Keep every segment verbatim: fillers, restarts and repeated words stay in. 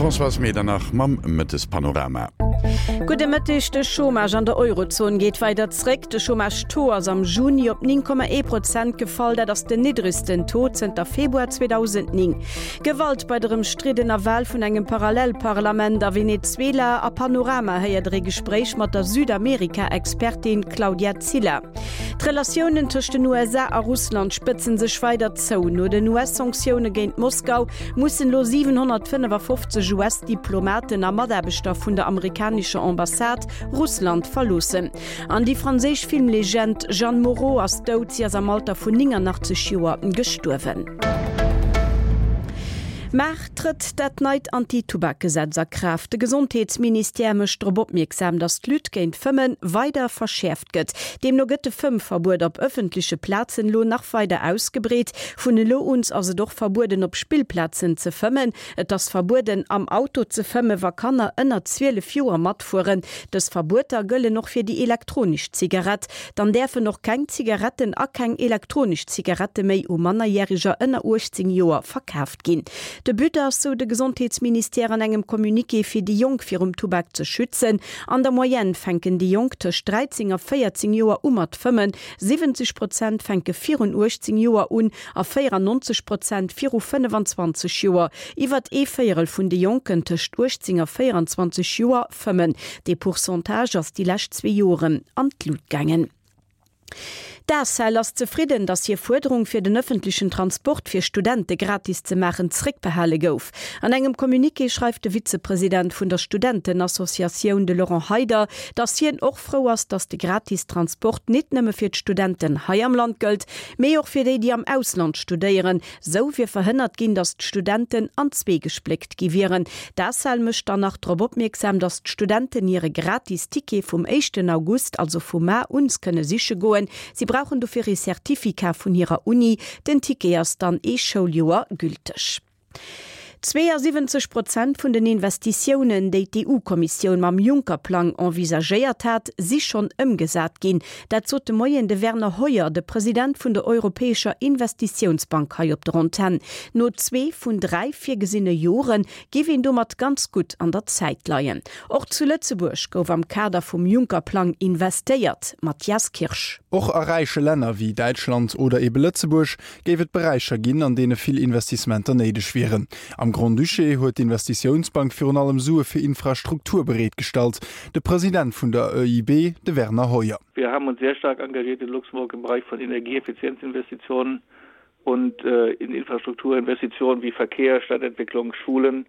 D'Françoise Medernach mam Mëttespanorama. Gudde Mëtteg, De Chômage an der Eurozon geet weider zréck. De Chômage-Taux ass am Juni op néng Komma ee Prozent gefall, dat ass den niddregsten Taux zënter Februar zweedausendnéng. Gewalt bei der ëmstriddener Wal vun engem Parallelparlament a Venezuela. A Panorama héiert der ee Gespréich mat der Südamerika-Expertin Claudia Cilla. D'Relatiounen tëscht den U S A a Russland spëtzen sech weider zou. No den U S-Sanktioune géint Moskau mussen elo siwenhonnertfënnefafofzeg U S-Diplomaten a Mataarbechter vun der amerikanescher Ambassade Russland verloossen. An déi franséisch Filmlegend Jeanne Moreau ass dout, si ass am Alter vun néngannachtzeg Joer gestuerwen. Mar trëtt dat neit Anti-Tubak-Gesetz a Kraaft. De Gesondheetsministère mécht drop opmierksam, datt d'Lutte géint d'Fëmmen weider verschäerft gëtt. Deemno gëtt de Fëmmverbuet op ëffentleche Plazen elo nach weider ausgebreet. Vun elo un ass et och verbueden, op Spillplazen ze fëmmen. Et ass verbueden, am Auto ze fëmmen, wa Kanner ënner zwielef Joer matfueren. Dës Verbueter gëllen och fir déi elektronesch Zigarett. Dann däerfen och keng Zigaretten a keng elektronesch Zigarette méi u Mannerjäreger ënner uechtzéng Joer verkaaft ginn. De But ass, sou de Gesondheetsministère an engem Communiqué, fir déi Jonk virum Tubak ze schützen. An der Moyenne fänken déi Jonk tëscht dräizéng a véierzéng Joer u mat fëmmen, siwwenzeg Prozent fänke virun uechtzéng Joer un a véierannonzeg Prozent viru fënnefanzwanzeg Joer. Iwwert ee Véierel vun de Jonken tëscht uechtzéng a véieranzwanzeg Joer fëmmen. Dee Pourcentage ass déi lescht zwee Joren an d'Lut gaangen. D'Acel ass zefridden, datt hir Fuerderung fir den ëffentlechen Transport fir Studente gratis ze maachen zréckbehale gouf. An engem Communiqué schreift de Vizepresident vun der Studentenassociatioun, de Laurent Heyder, datt hien och frou ass, datt de gratis Transport net nëmme fir d'Studenten hei am Land gëllt, mee och fir déi, déi am Ausland studéieren. Sou wier verhënnert ginn, datt d'Studenten an zwee gespléckt gi wieren. D'Acel mécht dann nach drop opmierksam, datt d'Studenten hire gratis Ticket vum éischten August, also vu mar un, kënne siche goen. Si brauchen dofir ee Certificat vun hirer Uni. Den Ticket ass dann ee Schouljoer gülteg. Zweeësiwwenzeg Prozent vun den Investitiounen, déi d'E U-Kommissioun mam Juncker-Plang envisagéiert hat, si schonn ëmgesat ginn. Dat sot de Moien de Werner Hoyer, de President vun der Europäescher Investitiounsbank hei op der Antenn. No zwee vun dräi virgesinne Jore géif een domat ganz gutt an der Zäit leien. Och zu Lëtzebuerg gouf am Kader vum Juncker-Plang investéiert, Mathias Kirsch. Och a räiche Länner wéi Däitschland oder ebe Lëtzebuerg géif et Beräicher ginn, an deene vill Investissementer néideg wieren. Am Grand-Duché huet d'Investitiounsbank virun allem Sue fir Infrastruktur bereetgestallt. De President vun der E I B, de Werner Hoyer. Wir haben uns sehr stark engagiert in Luxemburg im Bereich von Energieeffizienzinvestitionen und äh, in Infrastrukturinvestitionen wie Verkehr, Stadtentwicklung, Schulen.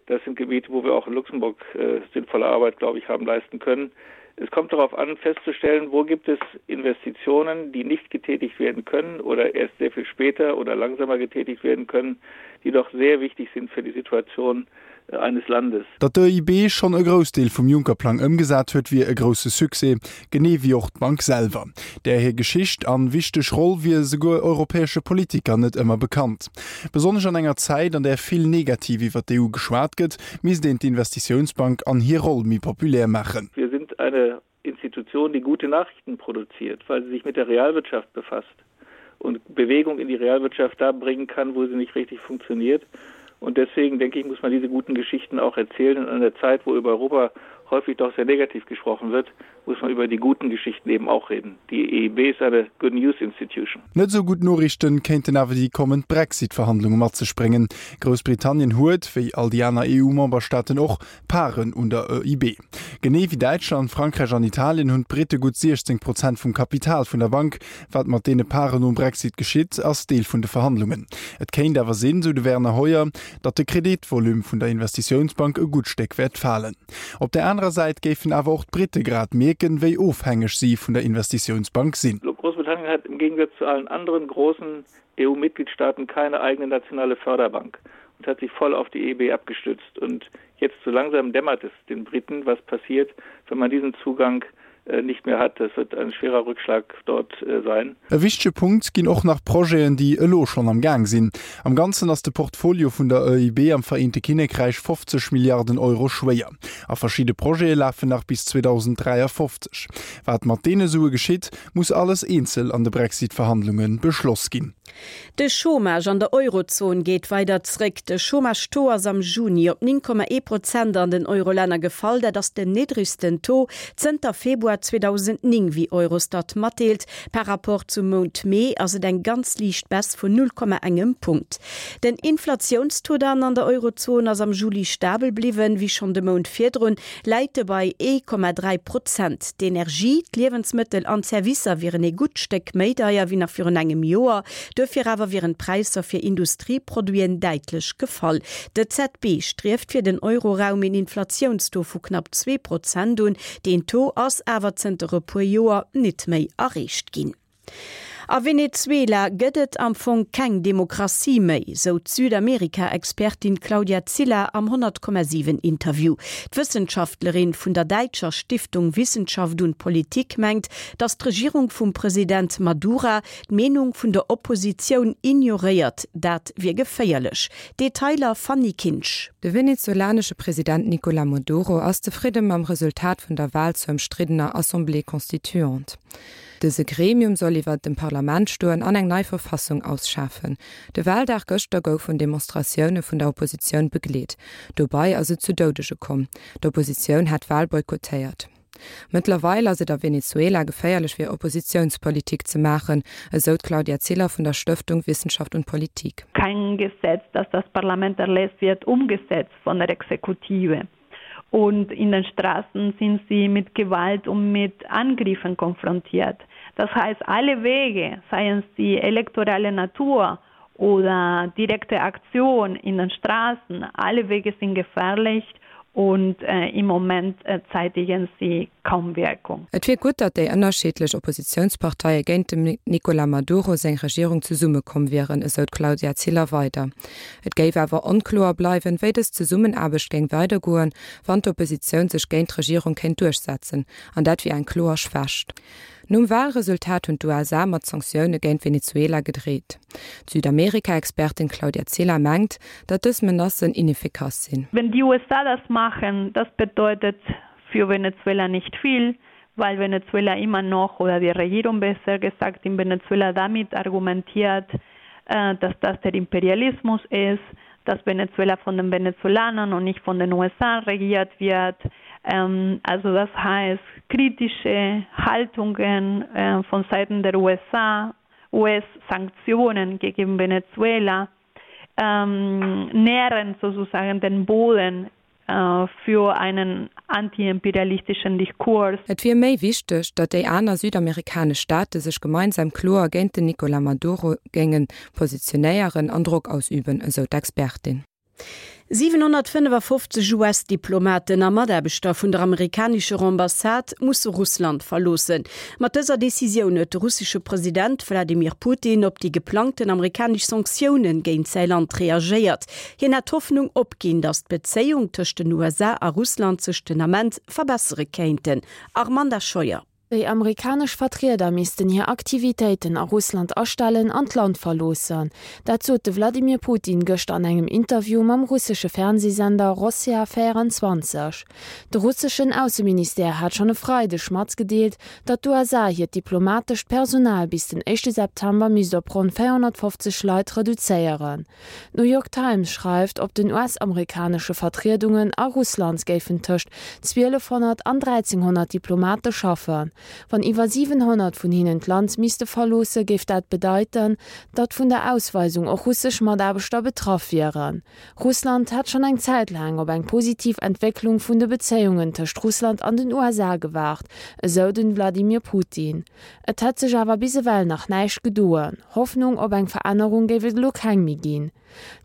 Das sind Gebiete, wo wir auch in Luxemburg äh, sinnvolle Arbeit, glaube ich, haben leisten können. Es kommt darauf an, festzustellen, wo gibt es Investitionen, die nicht getätigt werden können oder erst sehr viel später oder langsamer getätigt werden können, die doch sehr wichtig sind für die Situation äh, eines Landes. Datt d'E I B schonn e Groussdeel vum Juncker-Plang ëmgesat huet, wier e grousse Succès, genee wéi och d'Bank selwer. Där hir Geschicht an wichteg Roll wier souguer europäesche Politiker net ëmmer bekannt. Besonnesch an enger Zäit, an där vill negativ iwwer d'E U geschwat gëtt, misst een d'Investitiounsbank an hir Roll méi populär maachen. Wir sind eine Institution, die gute Nachrichten produziert, weil sie sich mit der Realwirtschaft befasst und Bewegung in die Realwirtschaft da bringen kann, wo sie nicht richtig funktioniert. Und deswegen denke ich, muss man diese guten Geschichten auch erzählen. Und in einer Zeit, wo über Europa häufig doch sehr negativ gesprochen wird, muss man über die guten Geschichten eben auch reden. Die E I B ist eine Good News Institution. Net sou gutt Noriichte kéinten awer déi kommend Brexit-Verhandlunge mat sech bréngen. Groussbritannien huet, wéi all déi aner E U-Memberstaaten och, Paren un der E I B. Genee wéi Däitschland, Frankräich an Italien hunn d'Britte gutt siechzéng Prozent vum Kapital vun der Bank. Wat mat deene Paren nom Brexit geschitt, ass Deel vun de Verhandlungen. Et kéint awer sinn, sou de Werner Hoyer, datt de Kreditvolume vun der Investitiounsbank e gutt Stéck wäert falen. Op der anerer Säit géifen awer och d'Britte grad mierken, wéi ofhängeg si vun der Investitiounsbank sinn. Großbritannien hat im Gegensatz zu allen anderen großen E U-Mitgliedstaaten keine eigene nationale Förderbank und hat sich voll auf die E I B abgestützt. Und jetzt so langsam dämmert es den Briten, was passiert, wenn man diesen Zugang äh, nicht mehr hat. Das wird ein schwerer Rückschlag dort äh, sein. E wichtege Punkt ginn och nach Projeten, déi elo schonn am Gaang sinn. Am Ganzen ass de Portfolio vun der E I B am Vereente Kinnekräich fofzeg Milliarden Euro schwéier. A verschidde Projete lafen nach bis zweedausenddräiafofzeg. Wat mat deene Sue geschitt, muss alles eenzel an de Brexit-Verhandlunge beschloss ginn. De Chômage an der Eurozon geet weider zréck. De Chômage-Taux ass am Juni op néng Komma ee Prozent an den Eurolänner gefall, dat ass den niddregsten Taux zënter Februar zweedausendnéng, wéi Eurostat matdeelt. Par rapport zum Mount Mee ass et eng ganz liicht Baisse vun null Komma engem Punkt. Den Inflatiounstaux dann an der Eurozon ass am Juli stabel bliwwen, wéi schonn de Mount virdrun, läit e bei ee Komma dräi Prozent. D'Energie, d'Liewensmëttel an d'Servicer wieren e gutt Stéck méi deier wéi nach virun engem Joer, duerfir awer wieren d'Präisser fir Industrieproduiten däitlech gefall. D'E Z B strieft fir den Euroraum een Inflatiounstaux vu knapp zwee Prozent un, deen Taux ass awer zënter e puer Joer net méi erreecht ginn. A Venezuela gëtt et am Fong keng Demokratie méi, sou d'Südamerika-Expertin Claudia Ziller am honnert Komma siwen Interview. D'Wëssenschaftlerin vun der däitscher Stiftung Wissenschaft und Politik mengt, datt d'Regierung vum President Maduro d'Meenung vun der Oppositioun ignoréiert, dat wier geféierlech. Detailer Fanny Kinsch. De venezolanesche President Nicolas Maduro ass zefridde mam Resultat vun der Wal zur ëmstriddener Assemblée constituante. Dëse Gremium soll iwwer dem Parlament stoen an eng nei Verfassung ausschaffen. De Waldag gëschter gouf vun Demonstratioune vun der Oppositioun begleet. Dobäi ass et zu Doudege komm. D'Oppositioun hat d'Wal boykottéiert. Mëttlerweil ass et a Venezuela geféierlech fir Oppositiounspolitik ze maachen, esou d'Claudia Ziller vun der Stëftung Wissenschaft und Politik. Kein Gesetz, das das Parlament erlässt, wird umgesetzt von der Exekutive. Und in den Straßen sind sie mit Gewalt und mit Angriffen konfrontiert. Das heißt, alle Wege, seien sie elektorale Natur oder direkte Aktion in den Straßen, alle Wege sind gefährlich und äh, im Moment äh, zeitigen sie kaum Wirkung. Et wier gutt, datt déi ënnerschiddlech Oppositiounsparteie géint dem Nicolas Maduro seng Regierung zesummekomm wieren, esou d'Claudia Ziller weider. Et géif awer onkloer bleiwen, wéi dës Zesummenaarbecht géing weidergoen, wann d'Oppositioun sech géint d'Regierung kéint duerchsetzen, an dat wier eng kloer Schwächt. Nom Walresultat hunn d'U S A mat Sanktioune géint Venezuela gedreet. D'Südamerika-Expertin Claudia Ziller mengt, datt dës Menacen ineffikass sinn. Wenn die U S A das machen, das bedeutet für Venezuela nicht viel, weil Venezuela immer noch oder die Regierung besser gesagt in Venezuela damit argumentiert, äh, dass das der Imperialismus ist, dass Venezuela von den Venezolanern und nicht von den U S A regiert wird. Ähm, also das heißt, kritische Haltungen äh, von Seiten der U S A, U S-Sanktionen gegen Venezuela ähm, nähren sozusagen den Boden äh, für einen antiimperialistischen Diskurs. Et wier méi wichteg, datt déi aner südamerikanesch Staate sech gemeinsam kloer géint den Nicolas Maduro géinge positionéieren an Drock ausüben, esou d'Expertin. siwenhonnertfënnefafofzeg U S-Diplomaten a Mataarbechter vun der amerikanescher Ambassade musse Russland verloossen. Mat dëser Decisioun huet de russesche President Wladimir Putin op déi geplangten amerikanesch Sanktioune géint säi Land reagéiert. Hien hat d'Hoffnung opginn, datt d'Bezéiung tëscht den U S A a Russland sech den Ament verbessere kéinten. Armanda Scheuer. Déi amerikanesch Vertrieder missten hir Aktivitéiten a Russland astellen an d'Land verloossen. Dat sot de Wladimir Putin gëschter an engem Interview mam russesche Fernsehsender Rossija véierenzwanzeg. De russeschen Ausseministère hat schonn e Freideg matgedeelt, datt d'U S A hiert diplomatescht Personal bis den éischte September misst op ronn véierhonnertfofzeg Leit reduzéieren. D'New York Times schreift, op den U S-amerikanesche Vertriedungen a Russland géifen tëscht zwielefhonnert an dräizehnhonnert Diplomate schaffen. Wann iwwer siwenhonnert vun hinnen d'Land misste verloossen, géif dat bedeiten, datt vun der Ausweisung och russesch Mataarbechter betraff wieren. Russland hat schonn eng Zäit laang op eng positiv Entwécklung vun de Bezéiungen tëscht Russland an den U S A gewaart, esou de Wladimir Putin. Et hätt sech awer bis ewell nach näischt gedoen. Hoffnung op eng Verännerung géif et elo keng méi ginn.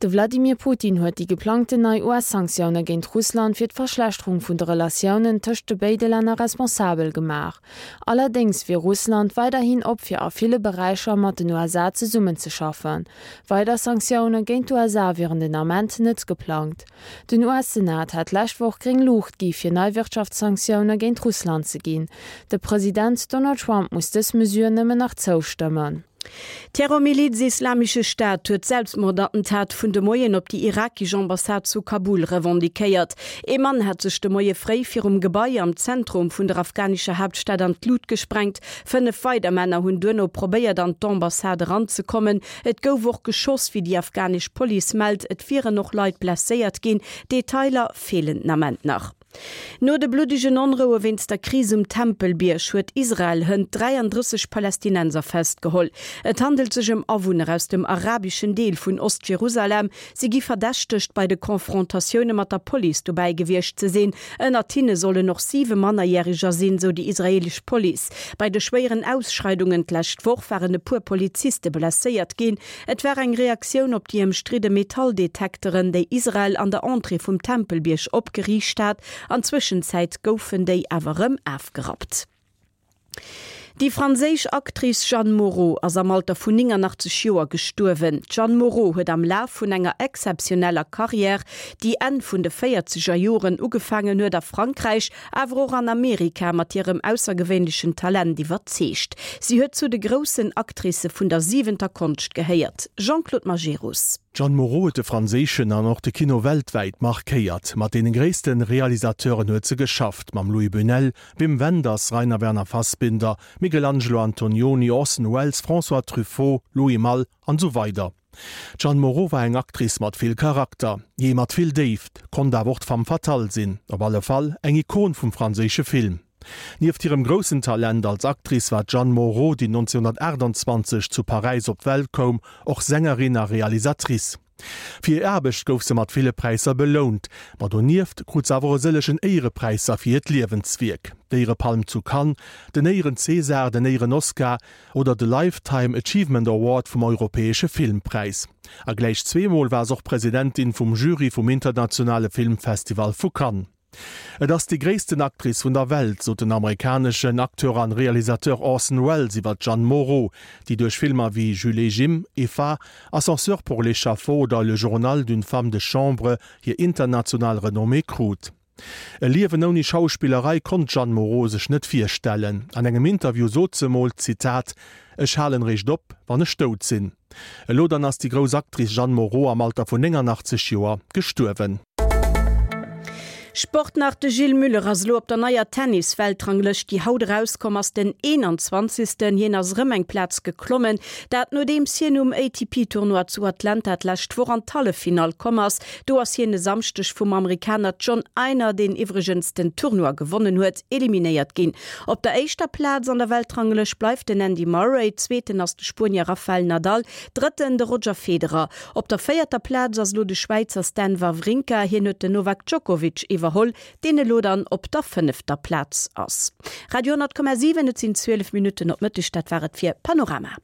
De Wladimir Putin huet déi geplangten nei U S-Sanktioune géint Russland fir d'Verschlechterung vun de Relatiounen tëscht de béide Länner responsabel gemaach. Allerdéngs wier Russland weiderhin op fir a ville Beräicher mat den U S A zesummenzeschaffen. Weider Sanktioune géint d'U S A wieren den Ament net geplangt. Den U S-Senat hat d'lescht Woch gréng Luucht gi fir nei Wirtschaftssanktioune géint Russland ze ginn. De President Donald Trump muss dës Mesure nëmmen nach zoustëmmen. D'Terrormiliz Islamesche Staat huet d'Selbstmordattentat vun de Moien op déi irakesch Ambassade zu Kabul revendiquéiert. Ee Mann hat sech de Moie fréi virum Gebai am Zentrum vun der afghanescher Haaptstad an d'Luucht gesprengt. Fënnef weider Männer hunn duerno probéiert an d'Ambassade eranzekommen. Et gouf och geschoss, wéi déi afghanesch Police mellt. Et wieren och Leit blesséiert ginn. Detailer feelen den Ament nach. No de bluddegen Onroue wéinst der Kris um Tempelbierg huet Israel hënt dräiandrësseg Palästinenser festgeholl. Et handelt sech ëm Awunner aus dem arabeschen Deel vun Ost-Jerusalem. Si gi verdächtegt, bei de Konfrontatioune mat der Police dobäi gewiescht ze sinn. Ënnert hinne sollen och siwe Mannerjäreger sinn, sou déi israeelesch Police. Bei de schwéieren Ausschreidungen d'lescht Woch waren e puer Poliziste blesséiert ginn. Et war eng Reaktioun op déi ëmstridde Metalldetekteren, déi Israel an der Entrée vum Tempelbierg opgeriicht hat. An Zwëschenzäit goufen déi awer rëm ofgerappt. Déi franséisch Actrice Jeanne Moreau ass am Alter vun nénganachtzeeg Joer gestuerwen. D'Jeanne Moreau huet am Laf vun enger exzeptioneller Karriär, déi Enn vun de véierzeger Joren ugefaangen huet a Frankräich, awer och an Amerika mat hirem aussergewéinlechen Talent iwwerzeegt. Si huet zu de groussen Actricë vun der siwenter Konscht gehéiert. Jean-Claude Majerus. D'Jeanne Moreau huet de franséischen an och de Kino weltwäit markéiert. Mat deene gréisste Realisateuren huet se geschafft, mam Luis Buñuel, Wim Wenders, Rainer Werner Fassbinder, Michelangelo Antonioni, Orson Welles, François Truffaut, Louis Malle an sou weider. D'Jeanne Moreau war eng Actrice mat vill Charakter, jee mat vill Déift, konnt awer och d'Femme fatale sinn, op alle Fall eng Ikon vum franséische Film. Nieft hirem groussen Talent als Actrice war d'Jeanne Moreau, déi nonzénhunnertaachtanzwanzeg zu Paräis op d'Welt koum, och Sängerin a Realisatrice. Fir hir Aarbecht gouf se mat ville Präisser belount, ma donieft krut se awer e sëllegen Éierepräisser fir hiert Liewenswierk. D'Éierepalm zu Cannes, den Éieren-César, den Éieren-Oscar oder de Lifetime Achievement Award vum Europäesche Filmpräis. A gläich zweemol war se och Presidentin vum Jury vum internationale Filmfestival vu Cannes. Et ass déi gréissten Actrice vun der Welt, sot den amerikaneschen Acteur an Realisateur Orson Welles iwwer d'Jeanne Moreau, déi duerch Filmer wéi Jules et Jim, Eva, Ascenseur pour l'échafaud oder Le Journal d'une femme de chambre hir international Renommée krut. E Liewen ouni Schauspillerei konnt d'Jeanne Moreau sech net virstellen. An engem Interview sot se mol, Zitat, Ech halen eréischt op, wann ech dout sinn. Elo dann ass déi grouss Actrice Jeanne Moreau am Alter vun nénganachtzeeg Joer gestuerwen. Sport nach. De Gilles Müller ass lo op der neier Tennis-Weltranglëscht, déi haut erauskomm ass, den eenanzwanzegsten. Hien ass rëm eng Plaz geklommen, dat nodeems hien um A T P-Tournoi zu Atlanta d'lescht Woch an d'Halleffinall komm ass. Do ass hien e Samschdeg vum Amerikaner John Isner, deen iwwregens den Tournoi gewonnen huet, eliminéiert ginn. Op der éischter Plaz an der Weltranglëscht bleift den Andy Murray, zweeten ass de Spuenier Rafael Nadal, drëtten de Roger Federer. Op der véierter Plaz ass lo de Schwäizer Stan Wawrinka, hien huet den Novak Djokovic iwwerholl, deen elo dann op der fënnefter Plaz ass. Radio honnert Komma siwen, et sinn zwielef Minutten op Mëtteg, dat war et fir Panorama.